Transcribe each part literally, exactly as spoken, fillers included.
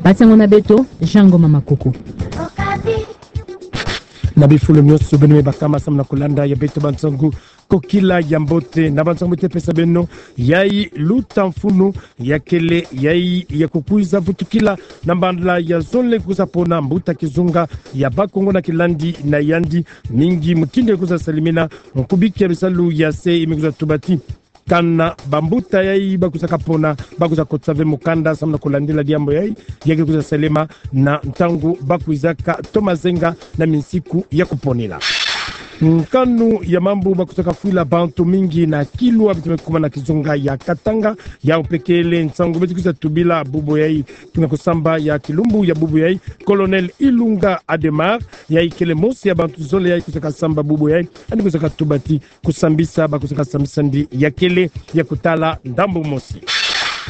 Basango na beto, Jean Ngoma Makuku. Na bifulu nyonso beno me bakama samu na kulanda ya beto bansangu, kokila ya mbote. Na bansangu mbote pesa beno, yayi luta mfunu ya kele, yayi ya kukwiza vutukila na mbala ya zole kwiza pona mbuta kizunga ya Bakongo na kilandi na yandi, mingi mutindu ya kwiza salimina. Nkubiki ya bisalu ya se i me kwiza tubati kana bambuta yayi ba kwizaka pona, ba kwiza kotisa ve mukanda samu na kulandila diambu yayi, ya ke kwiza salema na ntangu ba kwizaka toma zenga na minsiku ya kuponila. Nkanu ya mambu ba kwizaka fwila bantu mingi na Kilwa, beto me kuma na kizunga ya Katanga, yau mpe kele nsangu beto kwiza tubila bubu yayi. Tuna kusamba ya kilumbu ya bubu yayi, Colonel Ilunga Adhémar, yayi kele mosi ya bantu zole yayi kwizaka samba bubu yayi, yandi kwizaka tubati kusambisa, ba kwizaka sambisa ndi ya kele ya kutala ndambu mosi.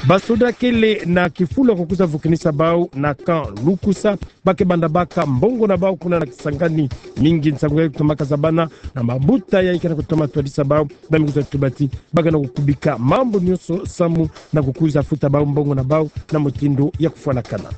Basoda kele na kifulu ya kukwiza vukinisa bau na camp Lukusa, ba ke banda baka mbongo na bau kuna na Kisangani. Mingi nsangu yayi kutomaka zabana na bambuta yayi ke na kutoma twadisa bau, ba me kwiza tubati ba ke na kukubika mambu nyonso samu na kukwiza futa bau mbongo na bau na mutindu ya kufwanakana.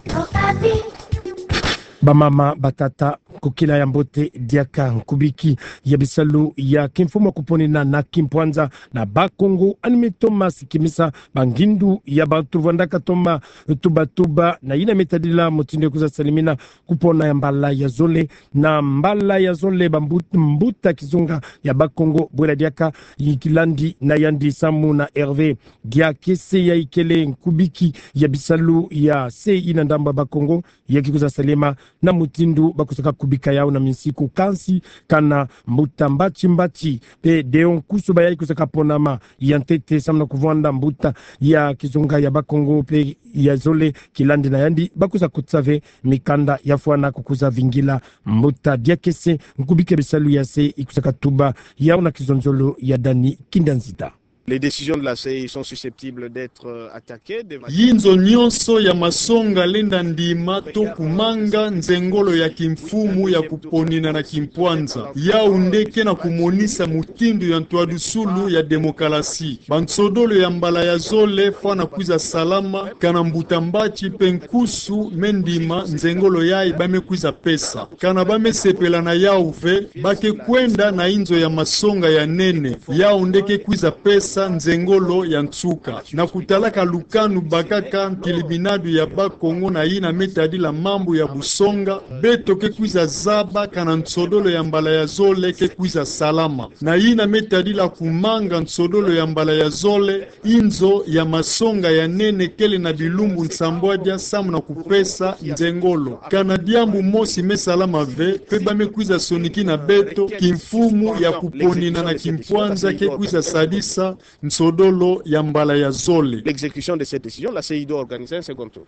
Bamama, batata, kokila ya mbote diaka. Nkubiki ya bisalu ya kimfumu ya kuponina na kimpwanza na Bakongo yandi me toma sikimisa bangindu ya bantu vwandaka toma tubatuba na yina me tadila mutindu ya kwiza salimina kupona ya mbala ya zole. Na mbala ya zole bambu-, mbuta kizunga ya Bakongo bwela diaka, yi kilandi na yandi samu na Hervé Diakese, yayi kele nkubiki ya bisalu ya se i na ndambu ya Bakongo, ya ke kwiza salema na mutindu ba kwizaka kubika yau na minsiku. Kansi kana mbuta Mbatsi Mbatsi mpe Deo Nkusu, ba yayi kwizaka ponama ya ntete samu na kuvwanda mbuta ya kizunga ya Bakongo mpe ya zole, kilandi na yandi, ba kwiza kotisa ve mikanda ya fwana kukwiza vingila mbuta Diakese. Nkubiki ya bisalu ya se i kwizaka tuba yau na kizonzolo ya Dani Kinda Nzita. Les décisions de la C E I sont susceptibles d'être, euh, attaquées de manière... Yinzo nyonso ya masonga lenda ndima to kumanga nzengolo ya kimfumu ya kuponina na kimpwanza. Yau nde ke na kumonisa mutindu ya ntwadusulu ya demokalasi. Bansodolo ya mbala ya zole fwana kwiza salama, kana mbuta Mbatsi mpe Nkusu me ndima nzengolo yayi ba me kwiza pesa. Kana ba me sepela na yau ve, ba ke kwenda na inzo ya masonga ya nene, yau nde ke kwiza pesa nzengolo ya nsuka. Na kutalaka lukanu bakaka ntilibinadu ya Bakongo na yina me tadila mambu ya busonga, beto ke kwiza zaba kana nsodolo ya mbala ya zole ke kwiza salama. Na yina me tadila kumanga nsodolo ya mbala ya zole, inzo ya masonga ya nene kele na bilumbu nsambwadia samu na kupesa nzengolo. Kana diambu mosi me salama ve, mpe ba me kwiza sonikina beto, kimfumu ya kuponina na kimpwanza ke kwiza sadisa nsodolo ya mbala ya zole. L'exécution de cette décision, la C E I doit organiser un second tour.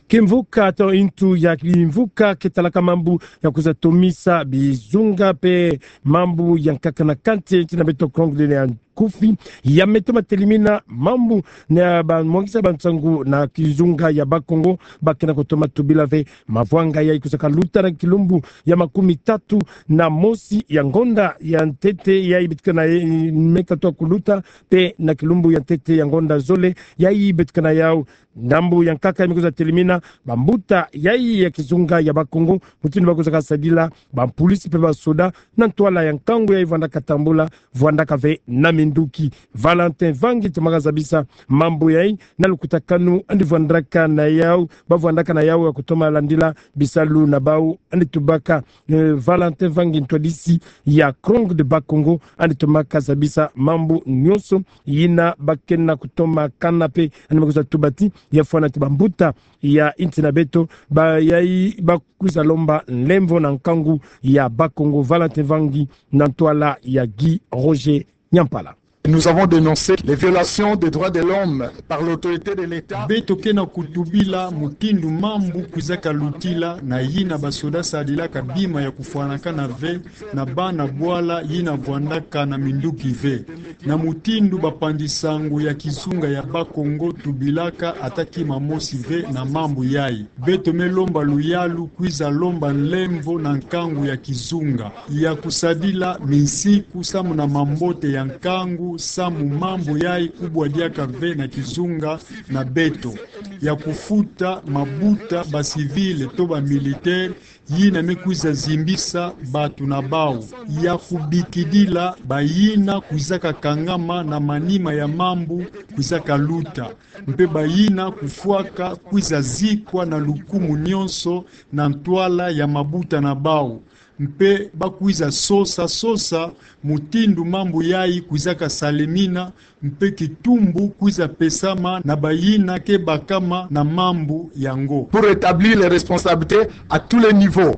Kimvuka to intu ya kimvuka ke talaka mambu ya kwiza tomisa bizunga mpe mambu ya nkaka na kati ya nti na beto Kongo de ya nkufi, ya me toma telimina mambu na bamwangisa bansangu na kizunga ya Bakongo, ba ke na kutoma tubila ve mavwanga yayi kwizaka luta na kilumbu ya makumi tatu na mosi ya ngonda ya ntete yayi beto ke na ye-, me katuka kuluta, mpe na kilumbu ya ntete ya ngonda zole yayi beto ke na yau. Ndambu ya nkaka ya me kwiza telimina bambuta yayi ya kizunga ya Bakongo, mutindu ba kwizaka sadila bampulisi mpe basoda na ntwala ya nkangu yayi vwandaka tambula, vwandaka ve na minduki. Valentin Vangi tomaka zabisa mambu yayi na lukutakanu yandi vwandaka na yau, ba vwandaka na yau ya kutoma landila bisalu na bau. Yandi tubaka, eh, Valentin Vangi, ntwadisi ya Krong de Bakongo, yandi tomaka zabisa mambu nyonso yina ba ke na kutoma kana mpe yandi me kwiza tubati ya fwana ti bambuta ya inti na beto ba yayi ba kwiza lomba nlemvo na nkangu ya Bakongo. Valentin Vangi na ntwala ya Guy Roger Nyampala. Nous avons dénoncé les violations des droits de l'homme par l'autorité de l'État. Beto ke na kutubila mutindu mambu kwizaka lutila na yina basoda sadilaka bima ya kufwanakana ve na bana bwala yina vwandaka na minduki ve. Na mutindu bapanzi-nsangu ya kizunga ya Bakongo tubilaka ata kima mosi ve na mambu yayi. Beto me lomba luyalu kwiza lomba nlemvo na nkangu ya kizunga ya kusadila minsiku samu na mambote ya nkangu Samu mambu yayi kubwa diaka ve na kizunga na beto, ya kufuta mabuta ba civil to ba militaire yina me kwiza zimbisa bantu na bawu, ya kubikidila bayina kwizaka kangama na manima ya mambu kwizaka luta, mpe bayina kufwaka kwiza zikwa na lukumu nyonso na ntwala ya mabuta na bawu. Mpe ba kwiza sosa sosa mutindu mambu yayi kwizaka salemina, mpe kitumbu kwiza pesama na bayina ke bakama na mambu yango. Pour rétablir les responsabilités à tous les niveaux.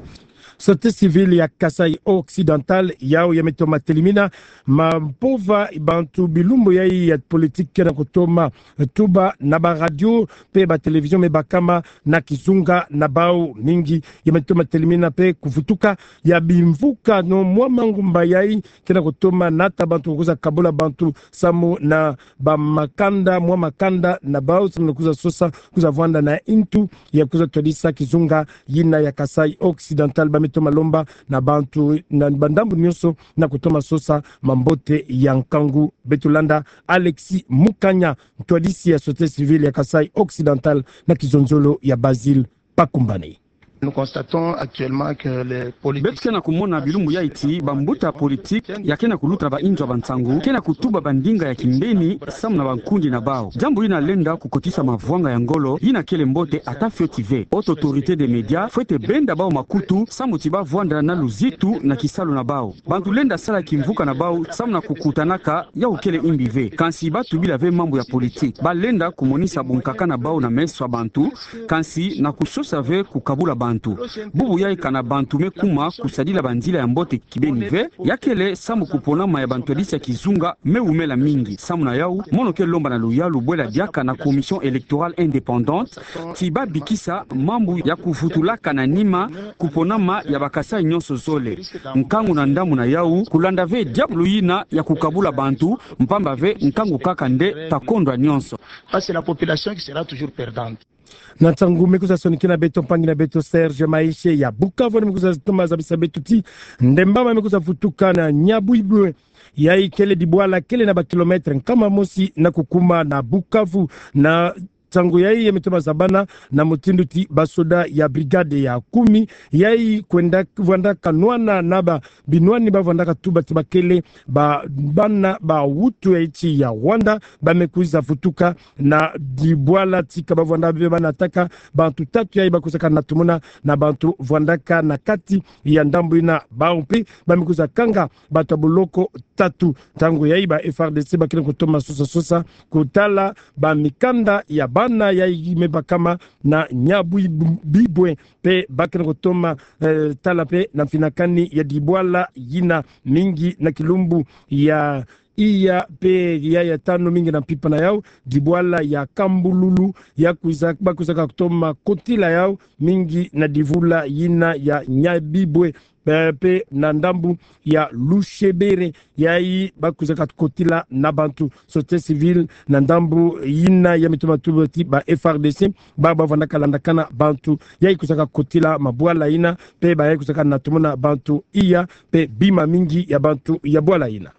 Société civile ya Kasaï Occidental, yawu ya me toma telimina mampova bantu bilumbu yayi ya politique ke na kutoma tuba na ba radio mpe ba télévision me bakama na kizunga na bawu, mingi ya me toma telimina mpe kuvutuka ya bimvuka no mwa mangumba yayi ke na kutoma nata bantu kwiza kabula bantu samu na ba makanda, mwa makanda na bawu samu na kwiza sosa, kwiza vwanda na ntu ya kwiza twadisa kizunga yina ya Kasaï Occidental. Ba me toma lomba na bantu na ba ndambu nyonso na kutoma sosa mambote ya nkangu. Beto landa Alexis Mukanya, ntwadisi ya société civile ya Kasaï Occidental na kizonzolo ya Basile Pakumbane. Nous constatons actuellement que les politiques... Beto ke na kumona bilumbu yayi ti bambuta ya politique ya ke na kuluta na ba inzo ya bansangu ke na kutuba bandinga ya kimbeni samu na bankundi na bawu. Diambu yina lenda kukotisa mavwanga ya ngolo yina kele mbote ata fioti ve. Haute autorité des médias fwete benda bawu makutu samu ti ba vwanda na luzitu na kisalu na bawu. Bantu lenda sala kimvuka na bawu samu na kukutanaka, yawu kele imbi ve. Kansi ba tubila ve mambu ya politique. Ba lenda kumonisa bunkaka na bawu na meso ya bantu, kansi na kusosa ve kukabula bantu. Bubu yayi kana bantu me kuma kusadila banzila ya mbote kibeni ve, ya kele samu kuponama ya bantwadisi ya kizunga me wumela mingi. Samu na yawu, mono ke lomba na luyalu bwela diaka na Commission électorale indépendante ti ba bikisa mambu ya kuvutulaka na nima kuponama ya ba Kasaï nyonso zole. Nkangu na ndambu na yawu, kulanda ve diabulu yina ya kukabula bantu, mpamba ve nkangu kaka nde ta kondwa nyonso. Parce que la population qui sera toujours perdante. Na nsangu me kwiza sonikina beto mpangi na beto Serge Maeshe ya Bukavu, ni me kwiza toma zabisa beto ti ndembama me kwiza vutuka na Nyabwibwe, yayi kele dibwala kele na ba kilomètre nkama mosi na kukuma na Bukavu. Na nsangu yayi ya me toma zabana na mutindu ti basoda ya brigade ya kumi yayi kwenda vwandaka nwana na ba binwani ba vwandaka tuba ti ba kele ba bana ba wutu ya nsi ya Rwanda, ba me kwiza vutuka na dibwala tika ba vwanda ve ba nataka bantu tatu yayi ba kwizaka natumuna na bantu vwandaka na kati ya ndambu yina. Bawu mpe ba me kwiza kanga bantu ya boloko tatu. Ntangu yayi ba F R D C ba ke na kutoma sosa sosa kutala ba mikanda ya bana yayi me bakama na Nyabwibwe, mpe ba ke na kutoma, eh, tala mpe na mfinakani ya dibwala yina. Mingi na kilumbu ya iya mpe ya, ya tanu mingi na mpimpa na yawu, dibwala ya Kambululu ya kwiza, ba kwizaka kutoma kotila yawu mingi na divula yina ya Nyabwibwe, eh, mpe na ndambu ya Lushebere, yayi ba kwizaka kotila na bantu. Société civile na ndambu yina ya me toma tuba ti ba F R D C, ba ba vwandaka landakana bantu yayi kwizaka kotila mabwala yina, mpe ba yayi kwizaka natumuna bantu iya mpe bima mingi ya bantu ya bwala yina.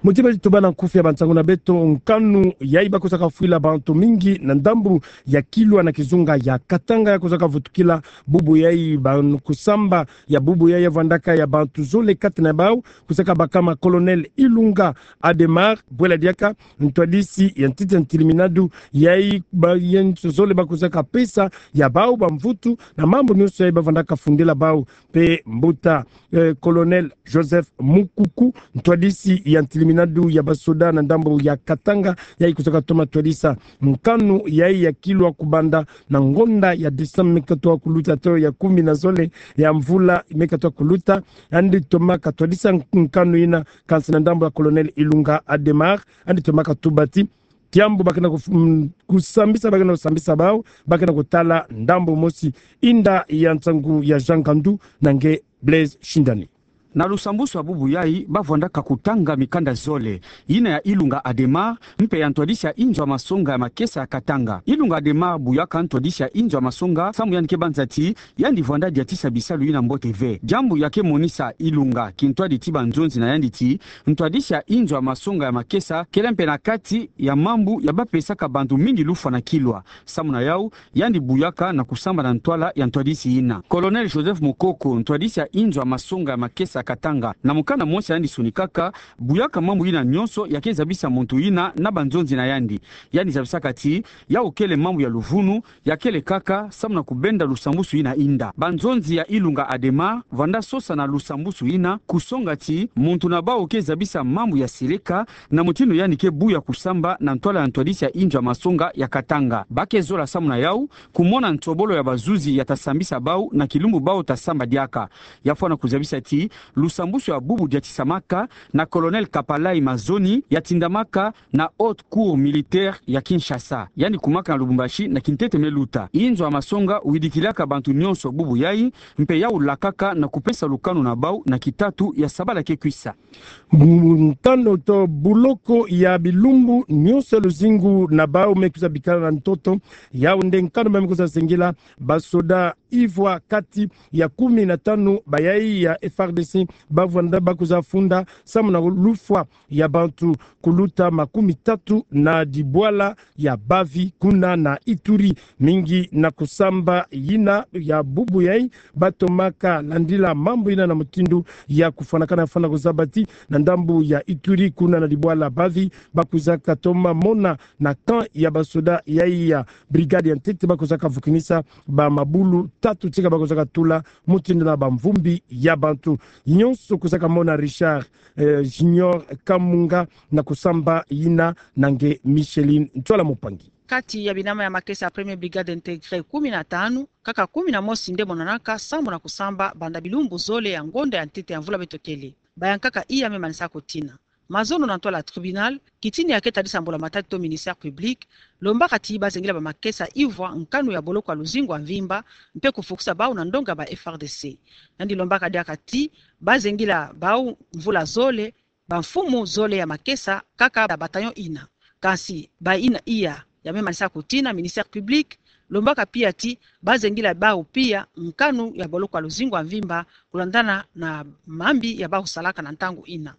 Muti ba ti tuba na nkufi ya bansangu na beto, nkanu yayi ba kwizaka fwila bantu mingi na ndambu ya Kilwa na kizunga ya Katanga ya kwizaka vutukila bubu yayi. Ba kusamba ya bubu yayi ya vwandaka ya bantu zole, kati na bawu kwizaka bakama Colonel Ilunga Adhémar, bwela diaka ntwadisi ya ntiti ya ntiliminadu, yayi ba, yayi nso zole ba kwizaka pesa ya bawu bamvutu na mambu nyonso yayi ba vwandaka fundila bawu. Mpe mbuta, eh, Colonel Joseph Mukuku, ntwadisi ya ntiliminadu ya basoda na ndambu ya Katanga, yayi kwizaka toma twadisa nkanu yayi ya Kilwa kubanda na ngonda ya décembre me katoka kuluta, to ya kumi na zole ya mvula me katoka kuluta, yandi tomaka twadisa nkanu yina. Kansi na ndambu ya Colonel Ilunga Adhémar, yandi tomaka tuba ti kiambu ba ke na kuf-, mm, kusambisa, ba ke na kusambisa bawu, ba ke na kutala ndambu mosi. Inda ya nsangu ya Jean Ngandu na nge Blaise Shindani. Na lusambusu ya bubu yai, bavwandaka kutanga mikanda zole, yina ya Ilunga Adhémar, mpe ya ntwadisi ya inzo ya masonga ya makesa ya Katanga. Ilunga Adhémar buyaka ntwadisi ya inzo ya masonga, samu yandi ke banza ti yandi vwanda diatisa bisalu yina mbote ve. Diambu ya ke monisa Ilunga kintwadi ti banzonzi na yandi ti, ntwadisi ya inzo ya masonga ya makesa kele mpe na kati ya mambu ya bapesaka bantu mingi lufwa na kilwa. Samu na yau, yandi buyaka na kusamba na ntwala ya ntwadisi yina. Colonel Joseph Mokoko, ntwadisi ya inzo ya masonga ya makesa ya Katanga, na mukanda mosi yandi sonikaka, buyaka mambu yina nyonso ya ke zabisa muntu yina na banzonzi na yandi. Yandi zabisaka ti, yau kele mambu ya luvunu, ya kele kaka samu na kubenda lusambusu yina inda. Banzonzi ya Ilunga Adhémar vwanda sosa na lusambusu yina, kusonga ti muntu na bau ke zabisa mambu ya seleka, na mutindu yandi ke buya kusamba na ntwala ya ntwadisi ya inzo ya masonga ya Katanga. Ba ke zola samu na yau kumona nsobolo ya bazuzi ya ta sambisa bau na kilumbu bau ta samba diaka. Ya fwana kuzabisa ti, lusambusu ya bubu diatisamaka na Colonel Kapalai Mazoni, ya tindamaka na Haute Cour militaire ya Kinshasa. Yandi kumaka na Lubumbashi na kintete me luta. Inzo ya masonga widikilaka bantu nyonso bubu yai, mpe yau lakaka na kupesa lukanu na bau na kitatu ya sabala ke kwisa. Ntano to buloko ya bilumbu nyonso ya luzingu na bau me kwiza bikala na ntoto. Yau nde nkanu ba me kwiza zengela basoda ivwa kati ya kumi na tanu bayai ya F R D C bavwanda ba kwiza funda samu na lufwa ya bantu kuluta makumi tatu na dibwala ya bavi kuna na Ituri, mingi na kusamba yina ya bubu yai. Batomaka landila mambu yina na mutindu ya kufwanakana, fwana kuzaba ti na ndambu ya Ituri kuna na dibwala bavi, ba kwizaka toma mona na camp ya basoda yai ya brigade ya ntete ba kwizaka vukinisa bamabulu tatu tika ba kwizaka tula mutindu na bamvumbi ya bantu. Nyonso kwizaka mona Richard, eh, Junior Kamunga na kusamba yina na nge Micheline Ntwala Mupangi. Kati ya binama ya makesa ya Première Brigade Intégrée kumi na tanu, kaka kumi na mosi nde monanaka sambu na kusamba banda bilumbu zole ya ngonda ya ntete ya mvula beto kele. Bayankaka iya me manisa kotina. Mazono na ntwala ya tribunal, kitini ya ke tadisa mbula matadi to ministère public, lombaka ti bazengila bamakesa ivwa nkanu ya boloko ya luzingu ya mvimba, mpe kufukisa bau na ndonga ya ba F R D C. Yandi lombaka diaka ti bazengila bau mvula zole, bamfumu zole ya makesa kaka ya bataillon ina. Kansi bayina iya ya me manisa kotina, ministère public, lombaka pia ti bazengila bau pia nkanu ya boloko ya luzingu ya mvimba, kulandana na mambi ya bau salaka na ntangu ina.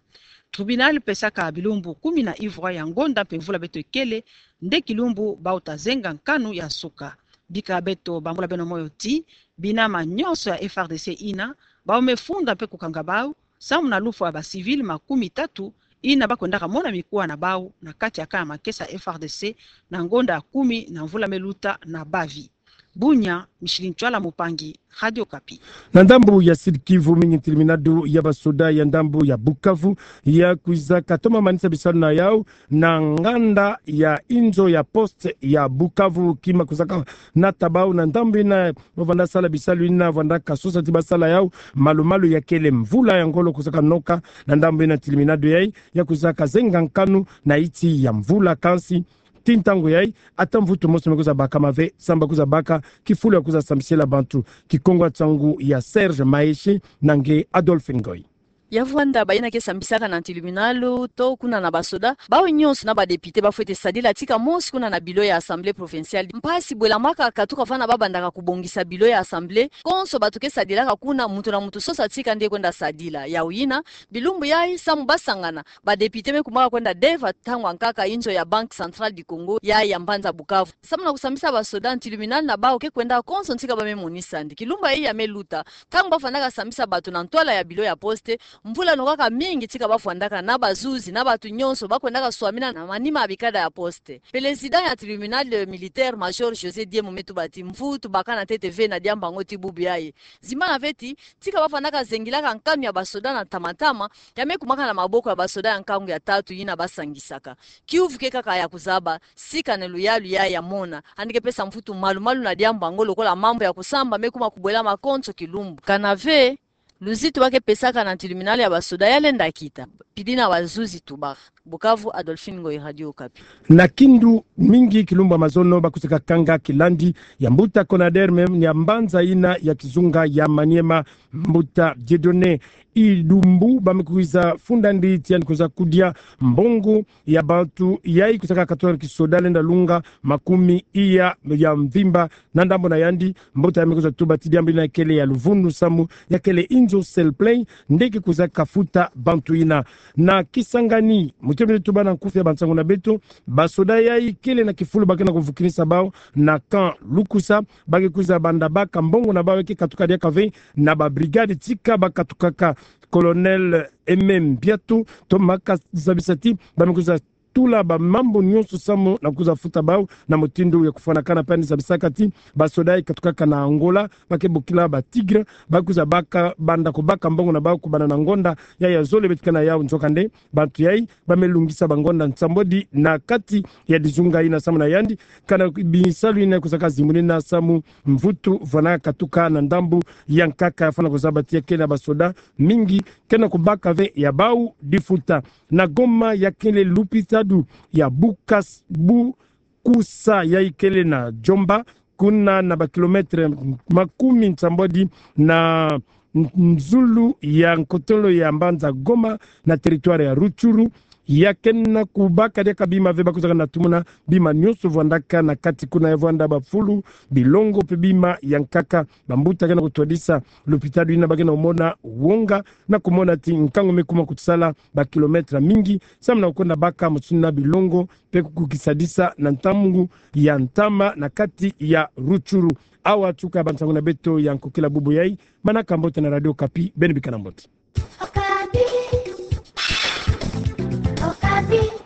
Tribunal pesaka bilumbu kumi na ivwa ya ngonda mpe mvula beto ikele, nde kilumbu bau ta zenga nkanu ya nsuka. Bika beto bambula beno moyo ti, binama nyonso ya F R D C ina, bau me funda mpe kukanga bau, sambu na lufwa ya ba civil makumi tatu, ina ba kwendaka mona mikuwa na bau na kati ya camp ya makesa F R D C na ngonda ya kumi na mvula me luta na bavi. Bunia, Micheline Ntwala Mupangi, Radio Okapi. Na ndambu ya Sud-Kivu, mingi ntiliminado ya basoda ya ndambu ya Bukavu ya kwizaka toma manisa bisalu na yau na nganda ya inzo ya poste ya Bukavu, kima kwizaka nata bau na ndambu ina ba vwanda sala bisalu ina vwandaka sosa ti basala yau malu-malu ya kele mvula ya ngolo kwizaka noka. Na ndambu ina ntiliminado yai ya kwizaka zenga nkanu na iti ya mvula, kansi ti ntangu yai ata mvutu mosi me kwiza bakama ve, sambu ba kwiza baka kifulu ya kwiza sambisila bantu. Kikongo ya nsangu ya Serge Maeshe na nge Adolphe Ngoy. Ya vwanda bayina ke sambisaka na ntiliminalo to kuna na basoda, bau nyonso na ba député bafwete sadila tika mosi kuna na bureau ya Assemblée provinciale. Mpasi bwelamaka katuka fana babandaka kubongisa bureau ya Assemblée, konso bato ke sadilaka kuna, muntu na muntu sosa tika nde kwenda sadila. Yau yina, bilumbu yai sambu basangana, ba député me kumaka kwenda deva ntangu ya nkaka inzo ya Banque Centrale du Congo ya, ya mbanza Bukavu. Sambu na kusambisa basoda, ntiliminalo na bau ke kwenda konso tika ba me monisa. Nde kilumbu yai ya me luta, ntangu ba fwanaka sambisa bato na ntwala ya bureau ya poste, mvula nokaka mingi tika ba fwandaka na bazuzi na bato nyonso ba kwendaka swamina na manima ya bikada ya poste. Président ya tribunal militaire, major José Diemo, me tuba ti mvutu baka na ntete ve na diambu yango ti bubu yai. Zimbana ve ti, tika ba fwanaka zengilaka nkanu ya basoda na ntama-ntama, ya me kumaka na maboko ya basoda ya nkangu ya tatu yina ba sangisaka. Kiuvu ke kaka ya kuzaba sika na luyalu yai ya mona, yandi ke pesa mvutu malu-malu na diambu yango lokola mambu ya kusamba me kuma kubwelama konso kilumbu. Kana ve, luzitu ba ke pesaka na ntiliminalo ya basoda ya lenda kita. Pidi na bazuzi tubaka. Bukavu, Adolphine Ngoyi, Radio Okapi. Na kindu mingi kilumbu ya mazono bakusaka kanga kilandi ya mbuta Conaderme ya mbanza yina ya kizunga ya Maniema, mbuta Dieudonné Idumbu, bamekwiza funda nditi yandi kwiza kudia mbongo ya bantu yayi kusaka katona kisoda lenda lunga makumi iya ya mvimba. Na ndambu na yandi, mbuta yamekwiza tuba ti diambu yina kele ya luvunu samu ya kele inzo selplay nde ke kwiza kafuta bantu yina. Na Kisangani, mutindu beno tuba na nkufi ya bansangu na beto, basoda yayi kele na kifulu ba ke na kuvukinisa bau na camp Lukusa, ba ke kwiza banda baka mbongo na bau ya ke katuka diaka ve na ba brigade tika ba katukaka. Colonel Aimé Mbiato Thomas kazabisa ti bamekwiza tula bamambu nyonso samu na kwiza futa bau na mutindu ya kufwanakana. Mpe yandi zabisaka ti basoda yayi katukaka na Angola, ba ke bokila ba Tigre, ba kwiza baka, banda kubaka mbongo na bau kubanda na ngonda yayi ya zole beto ke na yau. Nzokande, bantu yayi bamelungisa bangonda nsambwadi na kati ya dizunga yina samu na yandi, kana bisalu yina kwizaka zimbunina samu mvutu vwana katuka na ndambu ya nkaka. Yafwana kuzaba ti ya kele na basoda mingi ke na kubaka ve ya bau difuta. Na Goma, ya kele lupitadu ya Bukas-, Bukusa yayi kele na Djomba, kuna na ba kilomètre makumi nsambwadi na n-, nzulu ya nkotolo ya mbanza Goma, na territoire ya Rutshuru. Ya ke na kubaka diaka bima ve, ba kwizaka na tumuna bima nyonso vwandaka na kati kuna, ya vwanda bafulu, bilongo mpe bima ya nkaka. Bambuta ke na kutwadisa lupitadu yina ba ke na kumona wonga, na kumona ti nkangu me kuma kutusala ba kilomètre mingi samu na kukwenda baka motuna bilongo mpe kukisadisa na ntangu ya ntama na kati ya Rutshuru. Awa tuka bansangu na beto ya nkokila bubu yayi. Manaka mbote na Radio Okapi, beno bika na mbote. Okapi. Okapi.